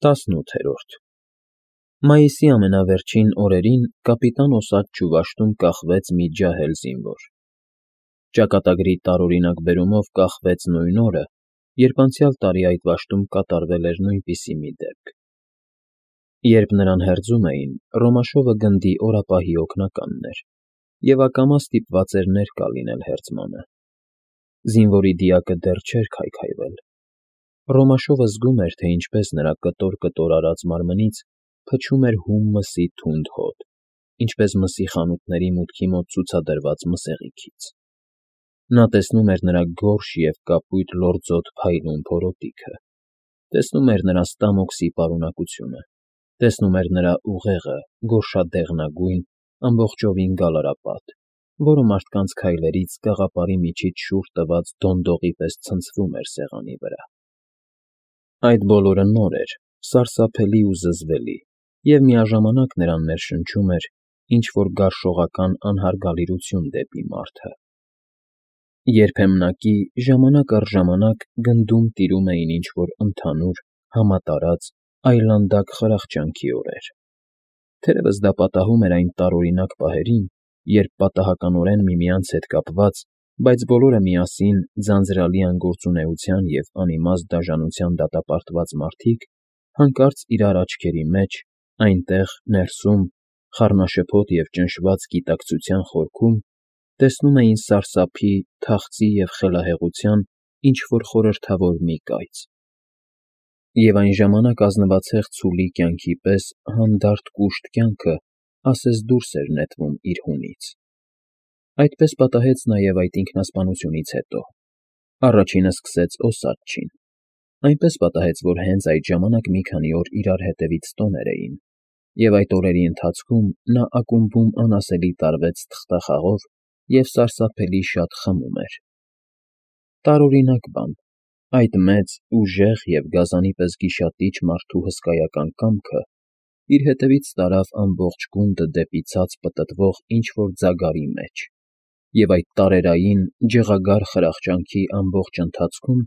18-րդ Մայիսի ամենավերջին օրերին կապիտան Օսաջ Ջուվաշտում կախվեց մի ջահել զինվոր։ Ճակատագրի տարօրինակ բերումով կախվեց նույն օրը, երբ անցյալ տարի այդ վաշտում կատարվել էր նույնպիսի մի դեպք։ Երբ նրան հերձում էին, Ռոմաշովը գնդի օրապահի օգնականն էր և ակամա ստիպված էր ներկա լինել հերձմանը։ Զինվորի դիակը դեռ չէր քայքայվել։ Ռոմաշովը զգում էր, թե ինչպես նրա կտոր արած մարմնից փչում էր հում մսի թունդ հոտ, ինչպես մսի խանութների մուտքի մոտ ցուցադրված մսեղիքից։ Նա տեսնում էր նրա գորշ և կապույտ լորձոտ փայլուն փորոտիքը, տեսնում էր նրա ստամոքսի պարունակությունը, տեսնում էր նրա ուղեղը, գորշադեղնագույն, ամբողջովին գալարապատ, որը մարդկանց քայլերից գաղապարի միջից շուռ տված դոնդողի պես ցնցվում էր սեղանի վրա։ Այդ բոլորը նոր էր, սարսափելի ու զզվելի, և միաժամանակ նրան ներշնչում էր ինչ֊որ գարշողական անհարգալիրություն դեպի մարդը։ Երբեմնակի, ժամանակ առ ժամանակ գնդում տիրում էին ինչ֊որ ընդհանուր, համատարած, այլանդակ խրախճանքի օրեր։ Թերևս դա պատահում էր այն տարօրինակ պահերին, երբ պատահականորեն միմյանց հետ կապված, բայց բոլորը միասին ձանձրալի անգործունեության և անիմաստ դաժանության դատապարտված մարդիկ հանկարծ իրար աչքերի մեջ, այնտեղ, ներսում, խառնաշփոթ և ճնշված գիտակցության խորքում, տեսնում էին սարսափի, թախծի և խելահեղության ինչ֊որ խորհրդավոր մի կայծ։ Եվ այն ժամանակ ազնվացեղ ցուլի կյանքի պես հանդարտ կուշտ կյանքը ասես դուրս էր նետվում իր հունից։ Այդպես պատահեց նաև այդ ինքնասպանությունից հետո։ Առաջինը սկսեց Օսաջչին։ Այնպես պատահեց, որ հենց այդ ժամանակ մի քանի օր իրար հետևից տոներ էին, և այդ օրերի ընթացքում նա ակումբում անասելի տարվեց թղթախաղով և սարսափելի շատ խմում էր։ Տարօրինակ բան, այդ մեծ, ուժեղ և գազանի պես գիշատիչ մարդու հսկայական կամքը իր հետևից տարավ ամբողջ գունդը դեպի ցած պտտվող ինչ֊որ ձագարի մեջ, և այդ տարերային, ջղագար խրախճանքի ամբողջ ընթացքում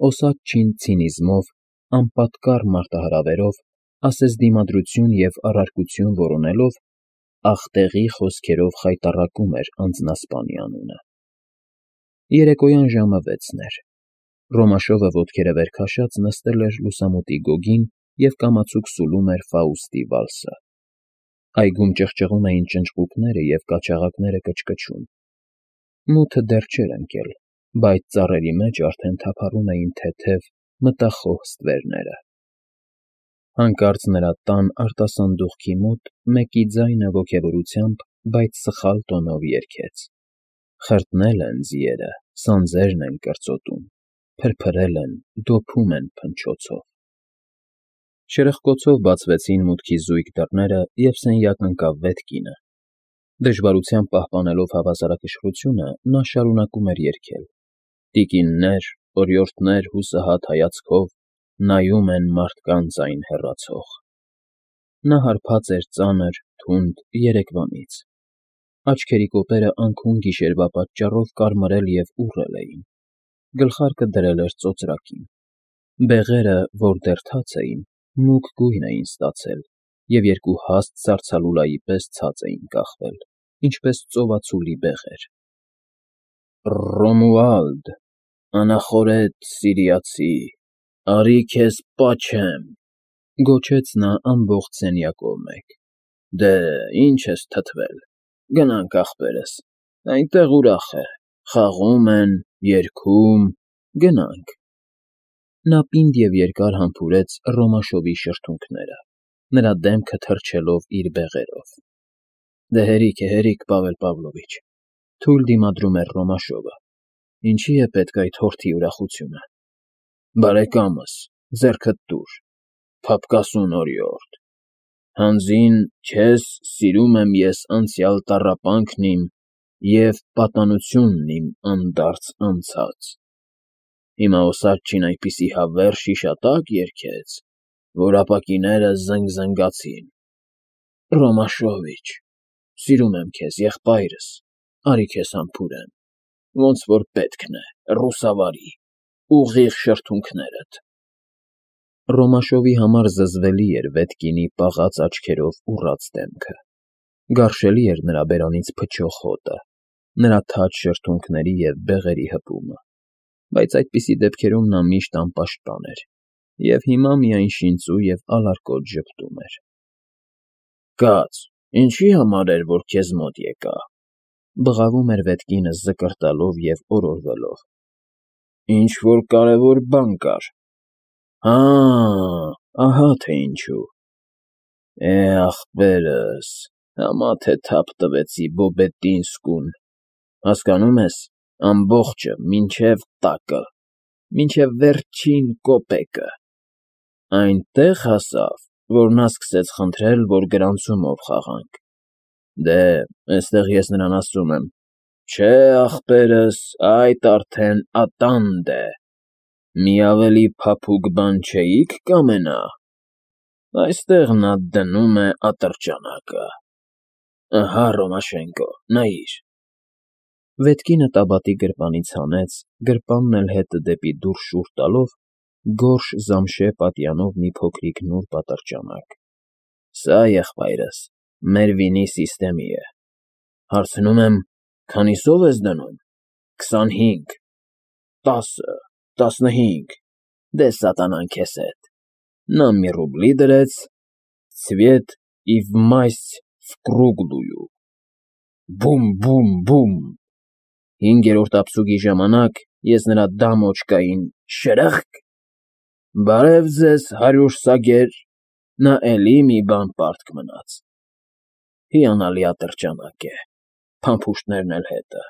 Օսաջչին ցինիզմով, անպատկառ մարտահրավերով, ասես դիմադրություն և առարկություն որոնելով, ախտեղի խոսքերով խայտառակում էր անձնասպանի անունը։ Երեկոյան ժամը 6-ն էր։ Ռոմաշովը ոտքերը վեր քաշած նստել էր լուսամուտի գոգին և կամացուկ սուլում էր Ֆաուստի վալսը։ Այգում ճղճղում էին ճնճղուկները և կաչաղակները կչկչում։ Մութը դեռ չէր ընկել, բայց ծառերի մեջ արդեն թափառում էին թեթև, մտախոհ ստվերները։ Հանկարծ նրա տան արտասանդուղքի մոտ մեկի ձայնը ոգևորությամբ, բայց սխալ տոնով երգեց. «Խրտնել են ձիերը, սանձերն են կրծոտում, փրփրել են, դոփում են փնչոցով»։ Շրխկոցով բացվեցին մուտքի զույգ դռները, և սենյակ ընկավ վետ կինը։ Դժվարությամբ պահպանելով հավասարակշռությունը, նա շարունակում էր երգել. «Տիկիններ, օրիորդներ հուսահատ հայացքով նայում են մարդկանց այն հեռացող»։ Նա հարբած էր ծանր, թունդ երեկվանից։ Աչքերի կոպերը անքուն գիշերվա պատճառով կարմրել և ուռել էին։ Գլխարկը դրել էր ծոծրակին։ Բեղերը, որ դեռ թաց էին, մուգ գույն էին ստացել և երկու հաստ սառցալուլայի պես ցած էին կախվել, ինչպես ծովածուլի բեղեր։ «Ռոմուալդ, անախորհետ սիրիացի, արի քեզ պաչեմ», գոչեց նա ամբողջ սենյակով մեկ։ «Դե, ինչ ես թթվել, գնանք, ախպերս, այնտեղ ուրախ է, խաղում են, երգում, գնանք»։ Նա պինդ և երկար համբուրեց Ռոմաշովի շրթունքները, նրա դեմքը թրջելով իր բեղերով։ «Դե հերիք, Պավել Պավլովիչ», թույլ դիմադրում էր Ռոմաշովը։ «Ինչի է պետք այդ հորթի ուրախությունը»։ «Բարեկամս, ձեռքդ տուր, փափկասուն օրիորդ, հանձին քեզ սիրում եմ ես անցյալ տառապանքն իմ և պատանությունն իմ անդարձ անցած։ Հիմա Օսաջչին այնպիսի հավերժ հիշատակ երգեց, որ ապակիները զնգզնգացին։ Ռոմաշովիչ, սիրում եմ քեզ, եղբայրս, արի քեզ համբուրեմ, ոնց որ պետքն է, ռուսավարի, ուղիղ շրթունքներդ»։ Ռոմաշովի համար զզվելի էր Վետկինի պաղած աչքերով ուռած դեմքը, գարշելի էր նրա բերանից փչող հոտը, նրա թաց շրթունքների և բեղերի հպումը, բայց այդպիսի դեպքերում նա միշտ անպաշտպան էր և հիմա միայն շինծու և ալարկոտ ժպտում էր։ ֊ Կաց, ինչի համար էր, որ քեզ մոտ եկա,֊ բղավում էր Վետկինը զկրտալով և օրորվելով։ ֊ Ինչ֊որ կարևոր բան կար։ Հա, ահա թե ինչու։ Ախպերս, համա թե թափ տվեցի Բոբետինսկուն, հասկանո՞ւմ ես, ամբողջը, մինչև տակը, մինչև վերջին կոպեկը, այնտեղ հասավ, որ նա սկսեց խնդրել, որ գրանցումով խաղանք։ Դե, էստեղ ես նրան ասում եմ. «Չէ, ախպերս, այդ արդեն ատանդ է, մի ավելի փափուկ բան չէի՞ք կամենա»։ Այստեղ նա դնում է ատրճանակը։ Ահա, Ռոմաշենկո, նայիր։ Վետկինը տաբատի գրպանից հանեց, գրպանն էլ հետը դեպի դուռ շուռ տալով, գորշ զամշե պատյանով մի փոքրիկ նուրբ ատրճանակ։ Սա, եղբայրս, մեր վինի սիստեմի է։ Հարցնում եմ, քանիսով ես դնում։ 25, 10, 15, դե սատանան քեզ հետ։ Նա մի ռուբլի դրեց, ցվետ ի վմասյ վկրուգլույու։ Բում։ 5-րդ ափսուկի ժամանակ ես նրա դամոճկային շրըխկ, բարև ձեզ, 100 սագեր, նա էլի մի բան պարտք մնաց։ Հիանալի ատրճանակ է, փամփուշտներն էլ հետը։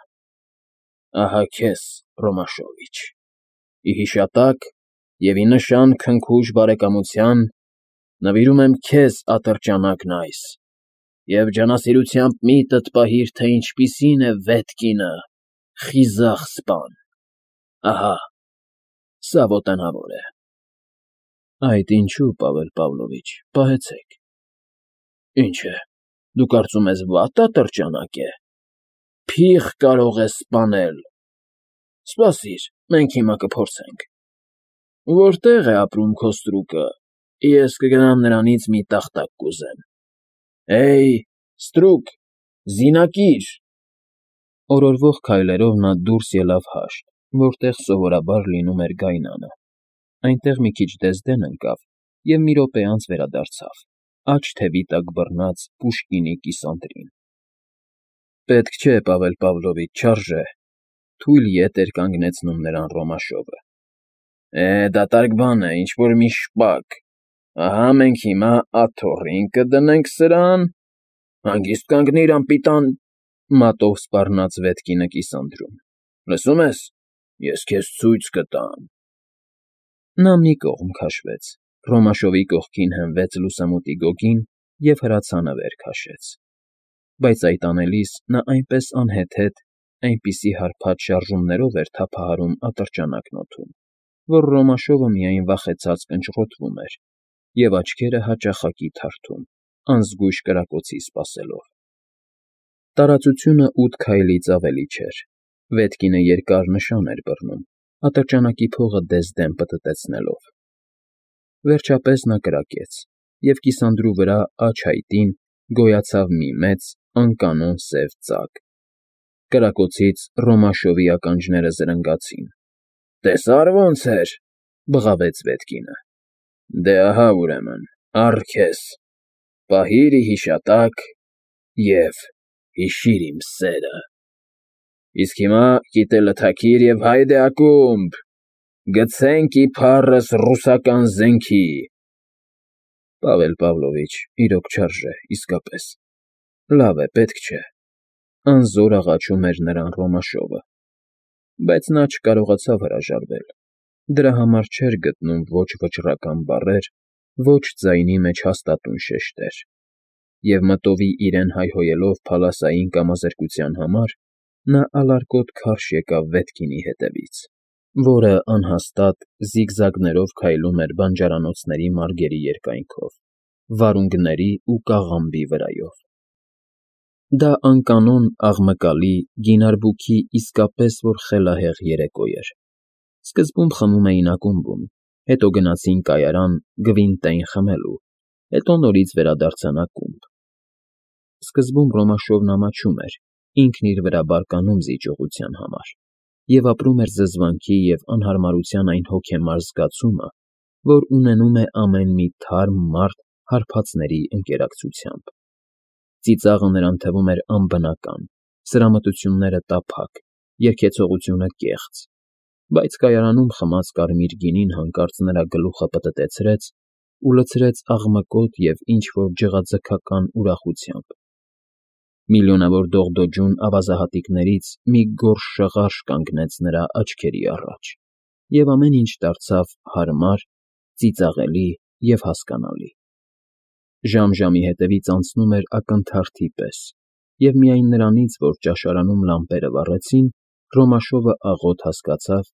Ահա քեզ, Ռոմաշովիչ, ի հիշատակ և ի նշան քնքուշ բարեկամության նվիրում եմ քեզ ատրճանակն այս և ջանասիրությամբ միտդ պահիր, թե ինչպիսին է Վետկինը, խիզախ սպան։ Ահա, սա ոտենավոր է։ Այդ ինչու, Պավել Պավլովիչ, պահեցեք։ Ինչ է, դու կարծում ես վատ ատրճանակ է։ Փիղ կարող է սպանել։ Սպասիր, մենք հիմա կփորձենք։ Որտե՞ղ է ապրում քո ստրուկը, ես կգնամ նրանից մի տախտակ կուզեմ։ Հեյ, ստրուկ, զինակիր։ Օրորվող քայլերով նա դուրս ելավ հաշտ, որտեղ սովորաբար լինում էր գայնանը, այնտեղ մի քիչ դեզդեն ընկավ և մի րոպե անց վերադարձավ, աջ թևի տակ բռնած Պուշկինի կիսանդրին։ Պետք չէ, Պավել Պավլովիչ, չարժե, թույլ ետ էր կանգնեցնում նրան Ռոմաշովը։ Դատարկ բան է, ինչ֊որ մի շպակ։ Ահա մենք հիմա աթոռին կդնենք սրան։ Հանգիստ կանգնիր, անպիտան, մատով սպառնաց Վետկինը կիսանդրում։ Լսում ես, ես քեզ ցույց կտամ։ Նա մի կողմ քաշվեց, Ռոմաշովի կողքին հենվեց լուսամուտի գոգին և հրացանը վեր քաշեց։ Բայց այդ անելիս նա այնպես անհեթեթ, այնպիսի հարբած շարժումներով էր թափահարում ատրճանակն օդում, որ Ռոմաշովը միայն վախեցած կնճռոտվում էր և աչքերը հաճախակի թարթում, անզգույշ կրակոցի սպասելով։ Տարածությունը 8 քայլից ավելի չէր։ Վետկինը երկար նշան էր բռնում, ատրճանակի փողը դեզդեն պտտեցնելով։ Վերջապես նա կրակեց, և կիսանդրու վրա աջ հայտին գոյացավ մի մեծ, անկանոն սև ծակ։ Կրակոցից Ռոմաշովի ականջները զրնգացին։ Տեսա՞ր ոնց էր,֊ բղավեց Վետկինը։ Դե ահա, ուրեմն, առ քեզ, պահիր ի հիշատակ և հիշիր իմ սերը։ Իսկ հիմա կիտելը թաքիր և հայդե ակումբ, գցենք իբառս ռուսական զենքի։ Պավել Պավլովիչ, իրոք չարժե, իսկապես։ Լավ է, պետք չէ, անզոր աղաչում էր նրան Ռոմաշովը։ Բայց նա չկարողացավ հրաժարվել։ Դրա համար չէր գտնում ոչ վճռական բառեր, ոչ ձայնի մեջ հաստատուն շեշտեր։ Եվ մտովի իրեն հայհոյելով փալասային կամազրկության համար, նա ալարկոտ քարշ եկավ Վետկինի հետևից, որը անհաստատ զիգզագներով քայլում էր բանջարանոցների մարգերի երկայնքով, վարունգների ու կաղամբի վրայով։ Դա անկանոն, աղմկալի, գինարբուքի իսկապես որ խելահեղ երեկո էր։ Սկզբում խմում էին ակումբում, Հետո գնացին կայարան գվինտային խմելու, հետո նորից վերադարձան ակումբ։ Սկզբում Ռոմաշովն ամաչում էր, ինքն իր վրա բարկանում զիջողության համար, և ապրում էր զզվանքի և անհարմարության այն հոգեմար զգացումը, որ ունենում է ամեն մի թարմ մարդ հարբածների ընկերակցությամբ։ Ծիծաղը նրան թվում էր անբնական, սրամտությունները տափակ, երգեցողությունը կեղծ, բայց կայարանում խմած կարմիր գինին հանկարծ նրա գլուխը պտտեցրեց ու լցրեց աղմկոտ և ինչ֊որ ջղաձգական ուրախությամբ։ Միլիոնավոր դողդոջուն ավազահատիկներից մի գորշ շղարշ կանգնեց նրա աչքերի առաջ, և ամեն ինչ դարձավ հարմար, ծիծաղելի և հասկանալի։ Ժամ֊ժամի հետևից անցնում էր ակնթարթի պես, և միայն նրանից, որ ճաշարանում լամպերը վառեցին, Ռոմաշովը աղոտ հասկացավ,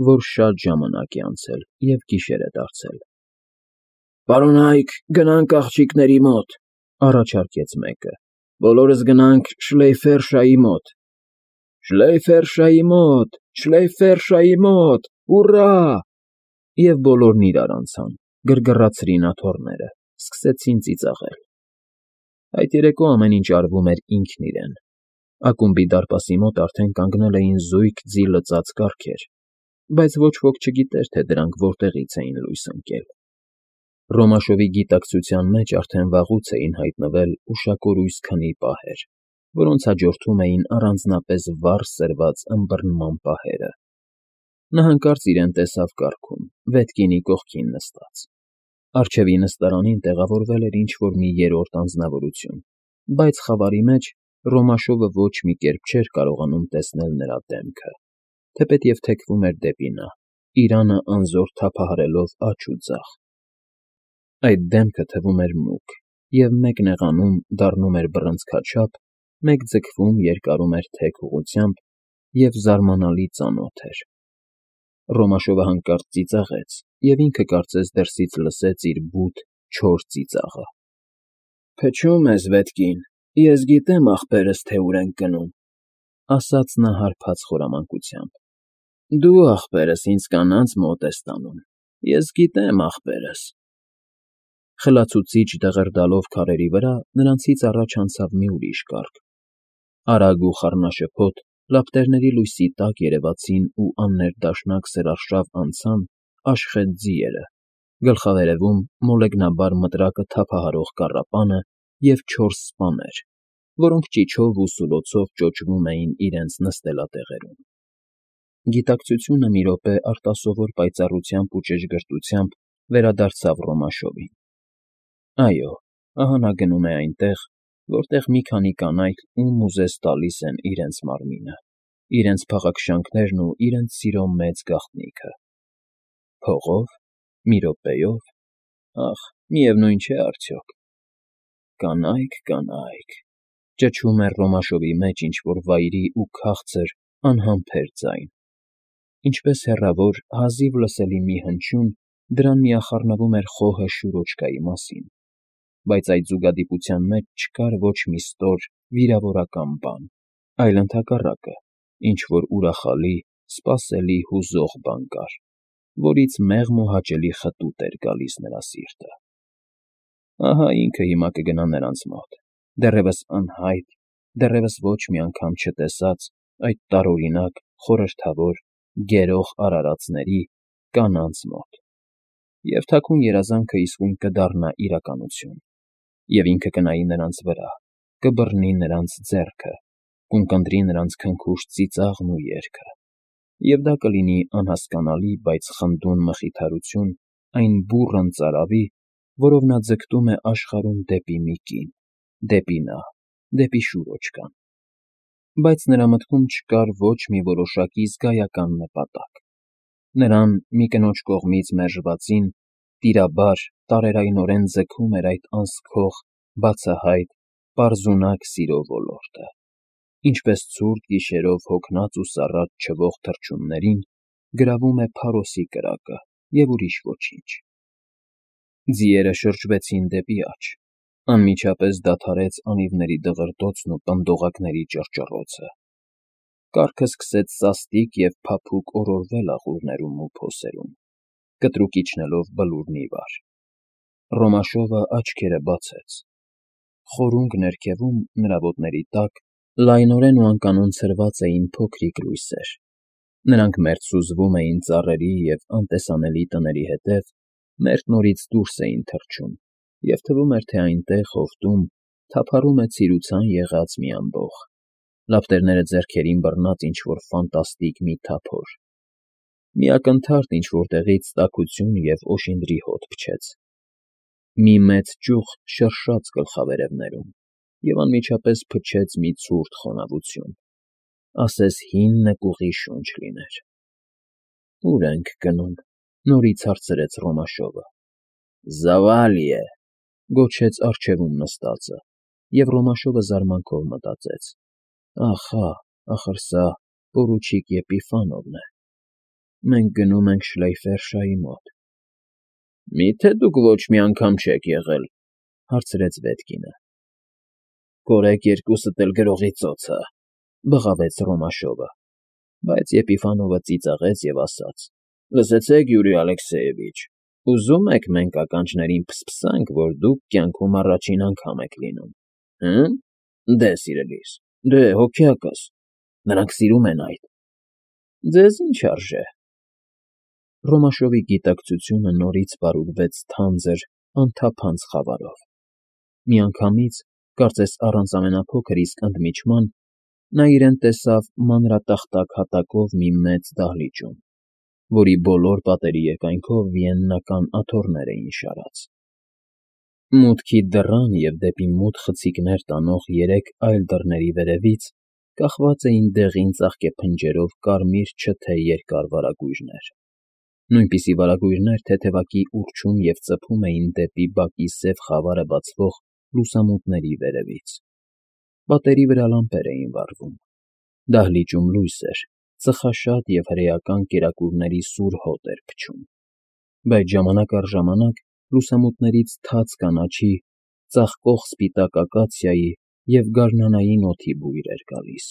որ շատ ժամանակ է անցել և գիշեր է դարձել։ ֊ Պարոնա՛յք, գնանք աղջիկների մոտ,֊ առաջարկեց մեկը։ ֊ Բոլորս գնանք Շլեյֆերշայի մոտ։ ֊ Շլեյֆերշայի մոտ, Շլեյֆերշայի մոտ, հուռա… Եվ բոլորն իրար անցան, գրգռացրին աթոռները, սկսեցին ծիծաղել։ Այդ երեկո ամեն ինչ արվում էր ինքն իրեն։ Ակումբի դարպասի մոտ արդեն կանգնել էին զույգ ձի լծած կառքեր, բայց ոչ ոք չգիտեր, թե դրանք որտեղից էին լույս ընկել։ Ռոմաշովի գիտակցության մեջ արդեն վաղուց էին հայտնվել ուշակորույս քնի պահեր, որոնց հաջորդում էին առանձնապես վառ սրված ըմբռնման պահերը։ Նա հանկարծ իրեն տեսավ կառքում, վետկինի կողքին նստած։ Առջևի նստարանին տեղավորվել էր ինչ֊որ մի երրորդ անձնավորություն, բայց խավարի մեջ Ռոմաշովը ոչ մի կերպ չէր կարողանում տեսնել նրա դեմքը, թեպետև թեքվում էր դեպի նա, իրանը անզոր թափահարելով աջ ու ձախ։ Այդ դեմքը թվում էր մուգ և մեկ նեղանում դառնում էր բռնցքաչափ, մեկ ձգվում երկարում էր թեք ուղղությամբ և զարմանալի ծանոթ էր։ Ռոմաշովը հանկարծ ծիծաղեց և ինքը կարծես դրսից լսեց իր բութ, չոր ծիծաղը։ ֊ Փչում ես, Վետկին, ես գիտեմ ախպերս թե ուր ենք գնում,֊ ասաց նա հարբած խորամանկությամբ։ ֊ Դու ախպերս ինձ կանանց մոտ ես տանում, ես գիտեմ ախպերս… Խլացուցիչ դղրդալով քարերի վրա նրանցից առաջ անցավ մի ուրիշ կառք։ Արագ ու խառնաշփոթ, լապտերների լույսի տակ երևացին ու աններդաշնակ սրարշավ անցան աշխտ ձիերը, գլխավերևում մոլեգնաբար մտրակը թափահարող կառապանը և 4 սպաներ, որոնք ճիչով ու սուլոցով ճոճվում էին իրենց նստելատեղերում։ Գիտակցությունը մի րոպե արտասովոր պայծառությամբ ու ճշգրտությամբ վերադարձավ Ռոմաշովին։ Այո, ահա նա գնում է այնտեղ, որտեղ մի քանի կանայք ում ուզես տալիս են իրենց մարմինը, իրենց փաղաքշանքներն ու իրենց սիրո մեծ գաղտնիքը… Փողո՞վ, մի րոպեո՞վ… Ախ, միևնույն չէ արդյոք… Կանայք, կանայք…֊ ճչում էր Ռոմաշովի մեջ ինչ֊որ վայրի ու քաղցր, անհամբեր ձայն։ Ինչպես հեռավոր, հազիվ լսելի մի հնչյուն, դրան միախառնվում էր խոհը շուրոճկայի մասին, բայց այդ զուգադիպության մեջ չկար ոչ մի ստոր, վիրավորական բան, այլ ընդհակառակը, ինչ֊որ ուրախալի, սպասելի, հուզող բան կար, որից մեղմ ու հաճելի խտուտ էր գալիս նրա սիրտը։ Ահա ինքը հիմա կգնա նրանց մոտ, դեռևս անհայտ, դեռևս ոչ մի անգամ չտեսած այդ տարօրինակ, խորհրդավոր, գերող արարածների, կանանց մոտ, և թաքուն երազանքը իսկույն կդառնա իրականություն, և ինքը կնայի նրանց վրա, կբռնի նրանց ձեռքը, կունկնդրի նրանց քնքուշ ծիծաղն ու երգը, և դա կլինի անհասկանալի, բայց խնդուն մխիթարություն այն բուռն ծարավի, որով նա ձգտում է աշխարհում դեպի մի կին, դեպի նա, դեպի շուրոճկան։ Բայց նրա մտքում չկար ոչ մի որոշակի զգայական նպատակ. նրան մի կնոջ կողմից մերժվածին տիրաբար, տարերայնորեն ձգում էր այդ անսքող, բացահայտ, պարզունակ սիրո ոլորտը, ինչպես ցուրտ գիշերով հոգնած ու սառած չվող թռչուններին գրավում է փարոսի կրակը և ուրիշ ոչինչ։ Ձիերը շրջվեցին դեպի աջ, անմիջապես դադարեց անիվների դղրդոցն ու պնդողակների ճռճռոցը։ Կառքը սկսեց սաստիկ և փափուկ օրորվել աղուրներում ու փոսերում։ կտրուկ իջնելով բլուրն ի վար։ Ռոմաշովը աչքերը բացեց։ Խորունգ ներքևում, նրա ոտների տակ, լայնորեն ու անկանոն ցրված էին փոքրիկ լույսեր։ Նրանք մերթ սուզվում էին ծառերի և անտեսանելի տների հետև, մերթ նորից դուրս էին թռչում, և թվում էր, թե այնտեղ, հովտում, թափառում է ցիրուցան եղած մի ամբոխ, լապտերները ձեռքերին բռնած ինչ֊որ ֆանտաստիկ մի թափոր։ Մի ակնթարթ ինչ֊որտեղից տաքություն և օշինդրի հոտ փչեց։ Մի մեծ ճյուղ շրշաց գլխավերևներում և անմիջապես փչեց մի ցուրտ խոնավություն, ասես հին նկուղի շունչ լիներ։ «Ո՞ւր ենք գնում», նորից հարցրեց Ռոմաշովը։ «Զավալիե», գոչեց առջևում նստածը, և Ռոմաշովը զարմանքով մտածեց. «Ահա, ախր սա պորուչիկ Եպիֆանովն է։ Մենք գնում ենք Շլեյֆերշայի մոտ»։ «Մի՞թե դուք ոչ մի անգամ չեք եղել», հարցրեց Վետկինը։ «Կորեք երկուսդ էլ գրողի ծոցը», բղավեց Ռոմաշովը, բայց Եպիֆանովը ծիծաղեց և ասաց. «Լսեցե՞ք, Յուրի Ալեքսեևիչ, ուզում եք մենք ականջներին փսփսանք, որ դուք կյանքում առաջին անգամ եք լինում, հը՞։ Դե, սիրելիս, դե, հոգյակս, նրանք սիրում են այդ»։ «Ձեզ ի՞նչ արժե»։ Ռոմաշովի գիտակցությունը նորից պարուրվեց թանձր, անթափանց խավարով։ Միանգամից, կարծես առանց ամենափոքր իսկ ընդմիջման, նա իրեն տեսավ մանրատախտակ հատակով մի մեծ դահլիճում, որի բոլոր պատերի երկայնքով վիեննական աթոռներ էին շարած։ Մուտքի դռան և դեպի մութ խցիկներ տանող երեք այլ դռների վերևից կախված էին դեղին ծաղկեփնջերով կարմիր չթե երկար վարագույրներ, նույնպիսի վարագույրներ թեթևակի ուռչում և ծփում էին դեպի բակի սև խավարը բացվող լուսամուտների վերևից։ Պատերի վրա լամպեր էին վառվում։ Դահլիճում լույս էր, ծխաշատ և հրեական կերակուրների սուր հոտ էր փչում, բայց ժամանակ առ ժամանակ լուսամուտներից թաց կանաչի, ծաղկող սպիտակ ակացիայի և գարնանային օդի բույր էր գալիս։